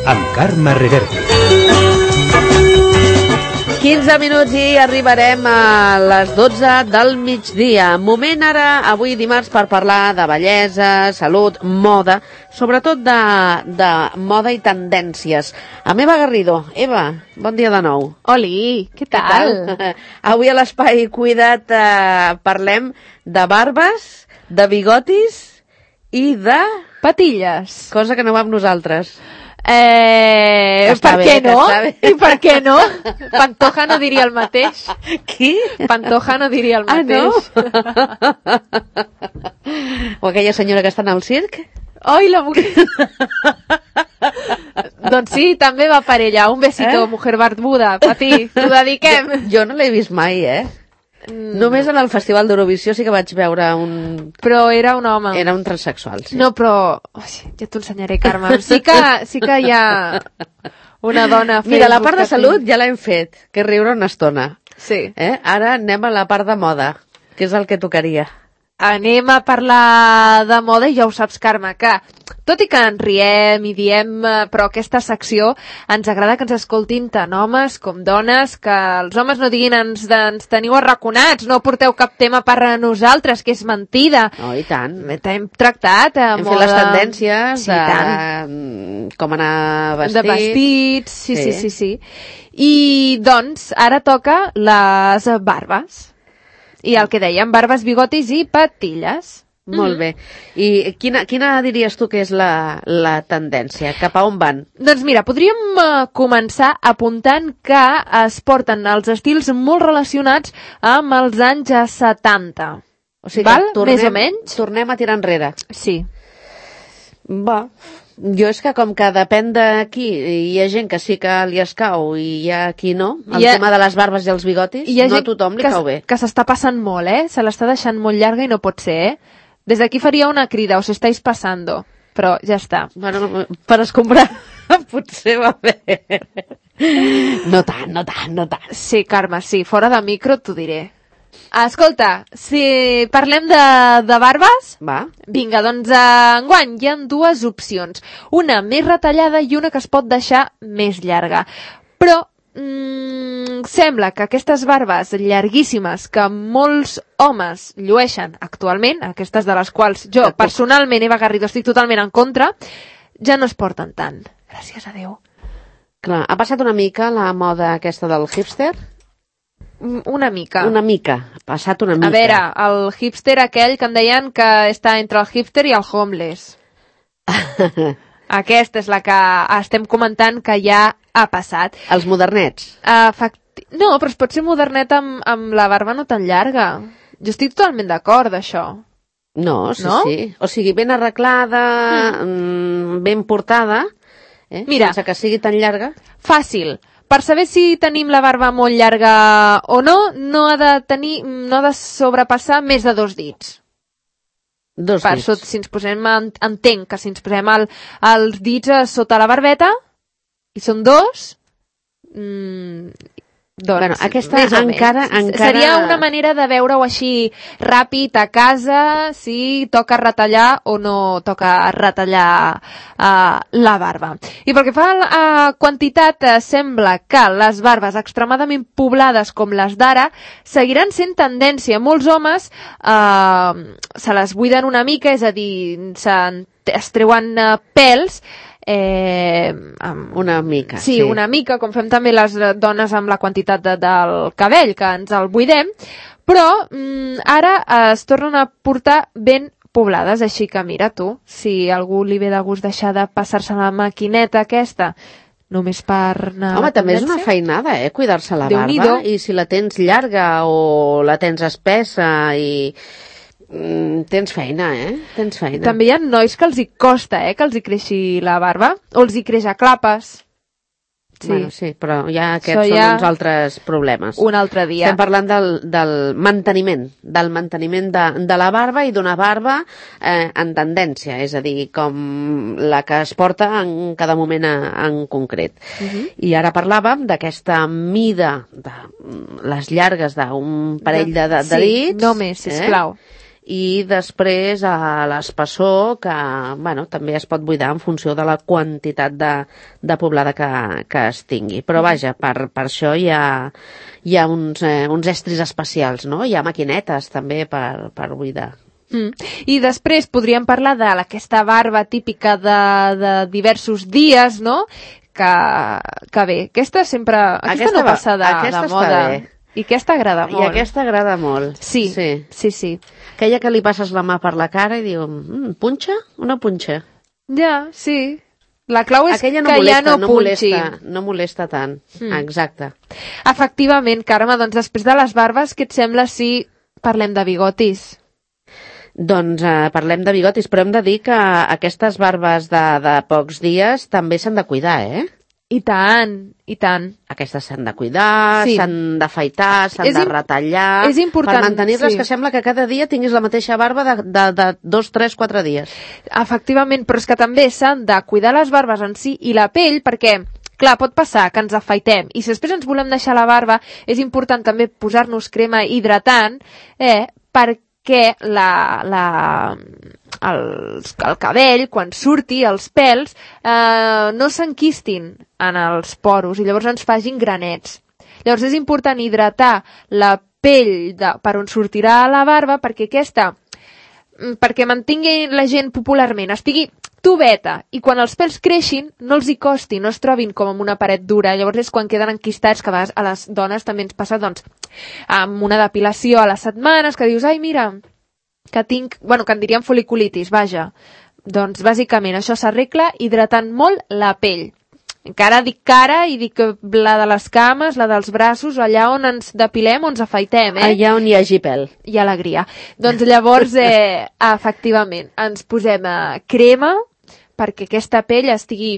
amb Carme Reverte. 15 minuts i arribarem a les 12 del migdia. Moment ara, avui dimarts, per parlar de bellesa, salut, moda, sobretot de moda i tendències. Amb Eva Garrido. Eva, bon dia de nou. Oli, què tal? Avui a l'Espai Cuida't parlem de barbes, de bigotis i de... patilles. Cosa que no va amb nosaltres. Per què no? I per què no? Pantoja no diria el mateix. Qui? Pantoja no diria el mateix. O aquella senyora que està en el circ? Oi, la mujer... Doncs sí, també va per ella. Un besito, mujer barbuda. Pati, t'ho dediquem. Jo no l'he vist mai, Només en el Festival d'Eurovisió sí que vaig veure un... Però era un home. Era un transsexual, sí. No, però... ja t'ho ensenyaré, Carme. Sí que hi ha una dona... Mira, la part de salut ja l'hem fet, que és riure una estona. Sí. Ara anem a la part de moda, que és el que tocaria. Anem a parlar de moda i ja ho saps, Carme, que tot i que ens riem i diem, però aquesta secció ens agrada que ens escoltin tant homes com dones, que els homes no diguin ens teniu arraconats, no porteu cap tema per a nosaltres, que és mentida. Oh, i tant. Hem tractat hem moda... fet les tendències sí, de com anar vestit. De vestits, sí. I doncs ara toca les barbes. I el que dèiem, barbes, bigotis i patilles. Molt bé. I quina diries tu que és la tendència? Cap a on van? Doncs mira, podríem començar apuntant que es porten els estils molt relacionats amb els anys 70. O sigui, val? Més o menys? Tornem a tirar enrere. Sí. Va, jo és que com que depèn d'aquí, hi ha gent que sí que li escau i hi ha qui no, el tema de les barbes i els bigotis, no a tothom li cau bé. Que s'està passant molt, Se l'està deixant molt llarga i no pot ser, Des d'aquí faria una crida, os estáis pasando, però ja està. Bueno, per escombrar potser va bé. No tant. Sí, Carme, sí, fora de micro t'ho diré. Escolta, si parlem de barbes, va. Vinga, doncs enguany hi ha dues opcions. Una més retallada i una que es pot deixar més llarga. Però sembla que aquestes barbes llarguíssimes que molts homes llueixen actualment, aquestes de les quals jo personalment, Eva Garrido, estic totalment en contra, ja no es porten tant. Gràcies a Déu. Clar, ha passat una mica la moda aquesta del hipster? Una mica. Ha passat una mica. A veure, el hipster aquell que em deien que està entre el hipster i el homeless. Aquesta és la que estem comentant que ja ha passat. Els modernets? No, però es pot ser modernet amb la barba no tan llarga. Jo estic totalment d'acord d'això. No, sí. O sigui, ben arreglada, ben portada, Mira, sense que sigui tan llarga. Fàcil. Per saber si tenim la barba molt llarga o no ha de sobrepassar més de 2 dits. Dos dits. Si ens posem, entenc que si ens posem els dits sota la barbeta, i són 2, doncs, bueno, aquesta encara... Seria una manera de veure-ho així ràpid a casa, si toca retallar o no toca retallar la barba. I pel que fa a quantitat, sembla que les barbes extremadament poblades com les d'ara seguiran sent tendència. Molts homes se les buiden una mica, és a dir, es treuen pèls, una mica. Sí, una mica, com fem també les dones amb la quantitat del cabell, que ens el buidem, però ara es tornen a portar ben poblades, així que mira tu, si algú li ve de gust deixar de passar-se la maquineta aquesta, només per anar... Home, també és una feinada, cuidar-se la barba, i si la tens llarga o la tens espessa i... Tens feina, Tens feina. També hi ha nois que els hi costa, que els hi creixi la barba, o els hi creix a clapes. Sí. Bueno, sí, però ja aquests són uns altres problemes. Un altre dia. Estem parlant del manteniment, de la barba i d'una barba en tendència, és a dir, com la que es porta en cada moment en concret. I ara parlàvem d'aquesta mida de les llargues d'un parell de dits. Sí, només, sisplau. i després a l'espessor, que bueno, també es pot buidar en funció de la quantitat de poblada que es tingui. Però vaja, per això hi ha uns estris especials, no? Hi ha maquinetes també per buidar. I després podríem parlar d'aquesta barba típica de diversos dies, no? Que bé, aquesta sempre... Aquesta no passa de moda. I aquesta agrada molt. I aquesta agrada molt. Sí. Aquella que li passes la mà per la cara i diu, punxa o no punxa? Ja, sí. La clau és aquella que ja no punxi. No molesta tant, exacte. Efectivament, Carme, doncs després de les barbes, què et sembla si parlem de bigotis? Doncs parlem de bigotis, però hem de dir que aquestes barbes de pocs dies també s'han de cuidar, eh? I tant, i tant. Aquestes s'han de cuidar, s'han d'afaitar, s'han de retallar... És important, per mantenir-les, que sembla que cada dia tinguis la mateixa barba de 2, 3, 4 dies. Efectivament, però és que també s'han de cuidar les barbes en si i la pell, perquè... Clar, pot passar que ens afaitem i si després ens volem deixar la barba és important també posar-nos crema hidratant perquè el cabell, quan surti, els pèls, no s'enquistin en els poros i llavors ens facin granets. Llavors és important hidratar la pell per on sortirà la barba perquè mantingui la gent popularment, estigui tubeta, i quan els pèls creixin no els hi costi, no es trobin com amb una paret dura. Llavors és quan queden enquistats, que a vegades a les dones també ens passa amb una depilació a les setmanes, que dius, ai mira, que tinc, que en diríem foliculitis, vaja. Doncs bàsicament això s'arregla hidratant molt la pell. Encara dic cara i dic la de les cames, la dels braços, allà on ens depilem o ens afaitem, Allà on hi hagi pèl. I alegria. Doncs llavors, efectivament, ens posem crema perquè aquesta pell estigui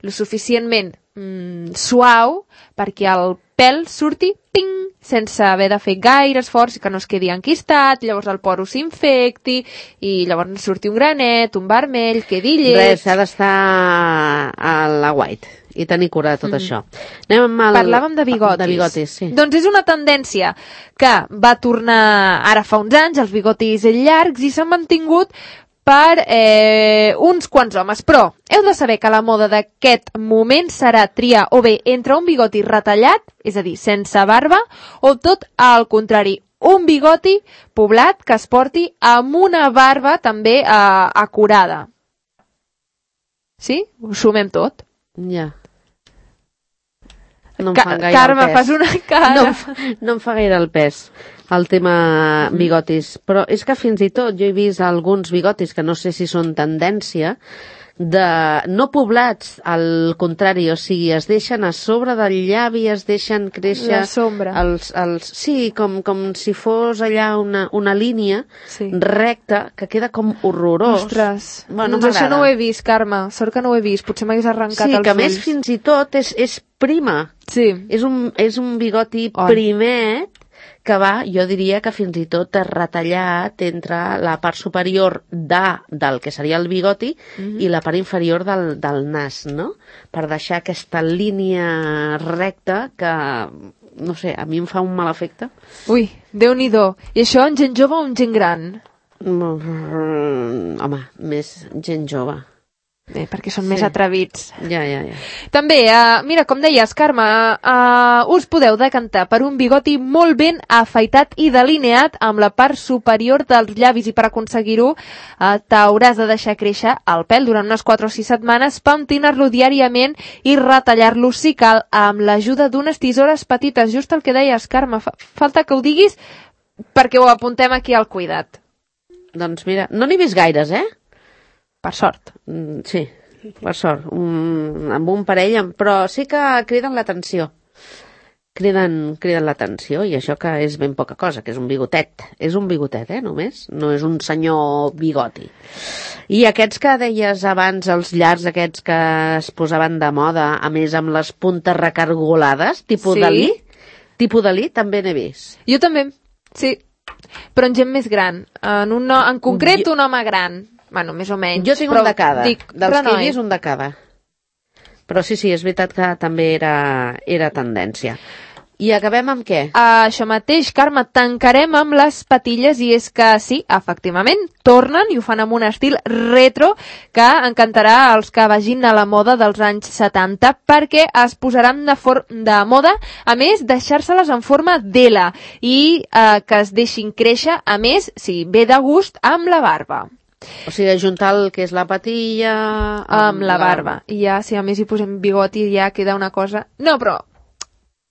lo suficientment suau perquè el pèl surti ping, sense haver de fer gaire esforç i que no es quedi enquistat, llavors el poro s'infecti i llavors surti un granet, un vermell, quedi lleig... Res, s'ha d'estar a la white i tenir cura de tot això. Parlàvem de bigotis. De bigotis, sí. Doncs és una tendència que va tornar ara fa uns anys, els bigotis llargs, i s'han mantingut per uns quants homes, però heu de saber que la moda d'aquest moment serà triar o bé entre un bigoti retallat, és a dir, sense barba, o tot al contrari, un bigoti poblat que es porti amb una barba també acurada. Sí? Ho sumem tot. Ja. No em fa gaire Carme, el pes. fas una cara. No em fa gaire el pes el tema bigotis, però és que fins i tot jo he vist alguns bigotis que no sé si són tendència no poblats, al contrari, o sigui, es deixen a sobre del llavi, es deixen créixer... La sombra. Sí, com si fos allà una línia recta que queda com horrorós. Ostres, bueno, doncs això no ho he vist, Carme, sort que no ho he vist, potser m'hagués arrencat els ulls. Sí, que més fins i tot és prima. Sí. És un bigoti primet que jo diria que fins i tot és retallat entre la part superior del que seria el bigoti i la part inferior del nas, no? Per deixar aquesta línia recta que, no sé, a mi em fa un mal efecte. Ui, Déu-n'hi-do. I això en gent jove o en gent gran? Home, més gent jove. Bé, perquè són més atrevits. Ja. També, mira, com deies, Carme, us podeu decantar per un bigoti molt ben afaitat i delineat amb la part superior dels llavis, i per aconseguir-ho t'hauràs de deixar créixer el pèl durant unes 4 o 6 setmanes, pentinar-lo diàriament i retallar-lo, si cal, amb l'ajuda d'unes tisores petites. Just el que deies, Carme, falta que ho diguis perquè ho apuntem aquí al cuidat. Doncs mira, no n'he vist gaires, Per sort. Sí, per sort. Amb un parell, però sí que criden l'atenció. Criden l'atenció, i això que és ben poca cosa, que és un bigotet. És un bigotet, només. No és un senyor bigoti. I aquests que deies abans, els llargs aquests que es posaven de moda, a més amb les puntes recargolades, tipus Dalí, també n'he vist. Jo també, sí. Però en gent més gran. En concret, un home gran. Bueno, més o menys. Jo tinc un de cada. Dels que he vist, un de cada. Però sí, és veritat que també era tendència. I acabem amb què? Això mateix, Carme, tancarem amb les patilles i és que sí, efectivament, tornen i ho fan amb un estil retro que encantarà als que vagin a la moda dels anys 70 perquè es posaran de moda, a més, deixar-se-les en forma d'L i que es deixin créixer, a més, sí, ve de gust amb la barba. O sigui, ajuntar el que és la patilla amb la barba. I ja, si a més hi posem bigoti, ja queda una cosa... No, però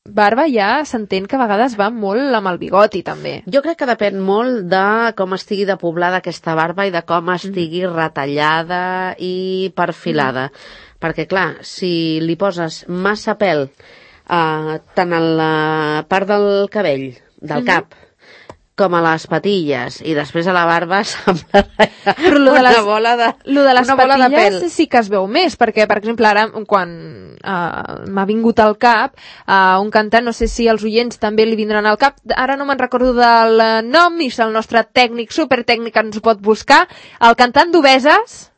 barba ja s'entén que a vegades va molt amb el bigoti, també. Jo crec que depèn molt de com estigui de poblada aquesta barba i de com estigui retallada i perfilada. Perquè, clar, si li poses massa pèl tant a la part del cabell, del cap, com a les patilles i després a la barba sembla una bola de pèl. Lo de les patilles sí que es veu més, perquè, per exemple, ara, quan m'ha vingut al cap un cantant, no sé si els oients també li vindran al cap, ara no me'n recordo del nom i si el nostre tècnic, supertècnic ens ho pot buscar, el cantant d'Obeses,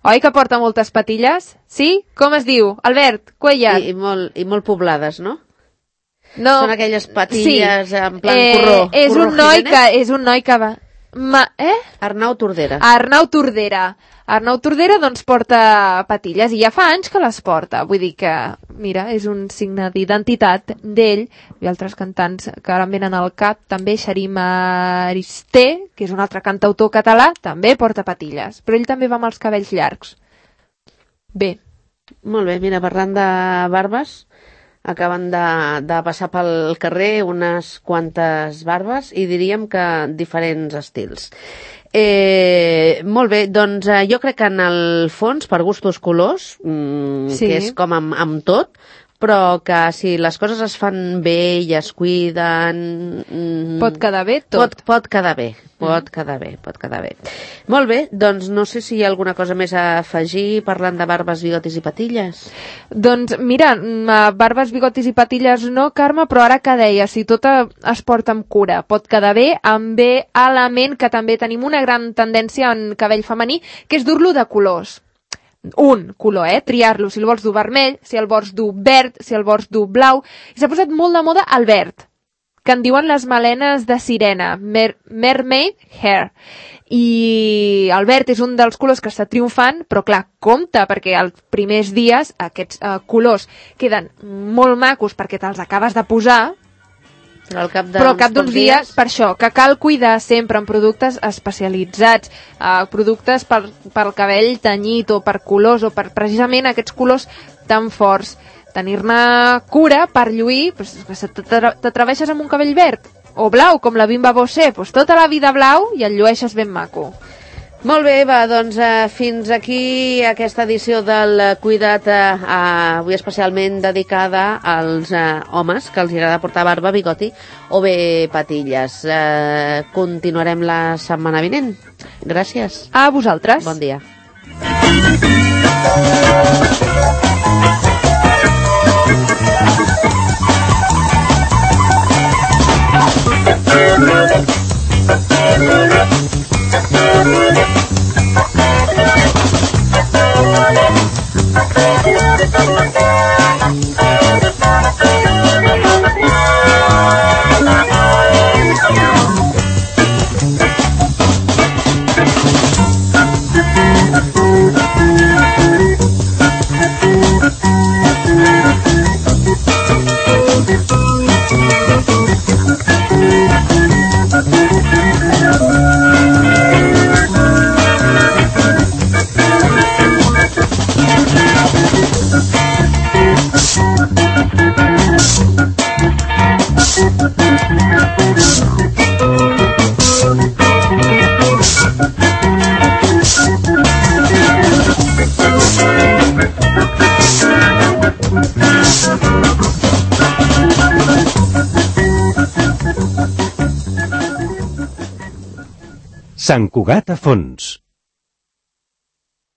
oi que porta moltes patilles? Sí? Com es diu? Albert Cuellar. I molt poblades, no? No. Són aquelles patilles en plan corró. És un noi que va... Arnau Tordera. Arnau Tordera doncs porta patilles i ja fa anys que les porta. Vull dir que, mira, és un signe d'identitat d'ell i altres cantants que ara em venen al cap. També Xarim Aristé, que és un altre cantautor català, també porta patilles. Però ell també va amb els cabells llargs. Bé. Molt bé, mira, parlant de barbes... Acaben de passar pel carrer unes quantes barbes i diríem que diferents estils. Molt bé, doncs jo crec que en el fons, per gustos colors, que és com amb tot, però que si les coses es fan bé i es cuiden... Pot quedar bé tot. Pot quedar bé. Molt bé, doncs no sé si hi ha alguna cosa més a afegir parlant de barbes, bigotis i patilles. Doncs mira, barbes, bigotis i patilles no, Carme, però ara que deia, si tot es porta amb cura, pot quedar bé, amb bé element que també tenim una gran tendència en cabell femení, que és dur-lo de colors. Un color, triar-lo, si el vols dur vermell, si el vols dur verd, si el vols dur blau. I s'ha posat molt de moda el verd, que en diuen les melenes de sirena, mermaid hair. I el verd és un dels colors que està triomfant, però clar, compte, perquè els primers dies aquests colors queden molt macos perquè te'ls acabes de posar, però al cap d'uns dies, per això, que cal cuidar sempre en productes especialitzats, productes pel cabell tenyit o per colors o per precisament aquests colors tan forts. Tenir-ne cura per lluir, si t'atreveixes amb un cabell verd o blau, com la Bimba Bosé, tota la vida blau i el llueixes ben maco. Molt bé, va, doncs fins aquí aquesta edició del Cuida't, avui especialment dedicada als homes que els agrada portar barba, bigoti o bé patilles. Continuarem la setmana vinent. Gràcies. A vosaltres. Bon dia. Sant Cugat a fons.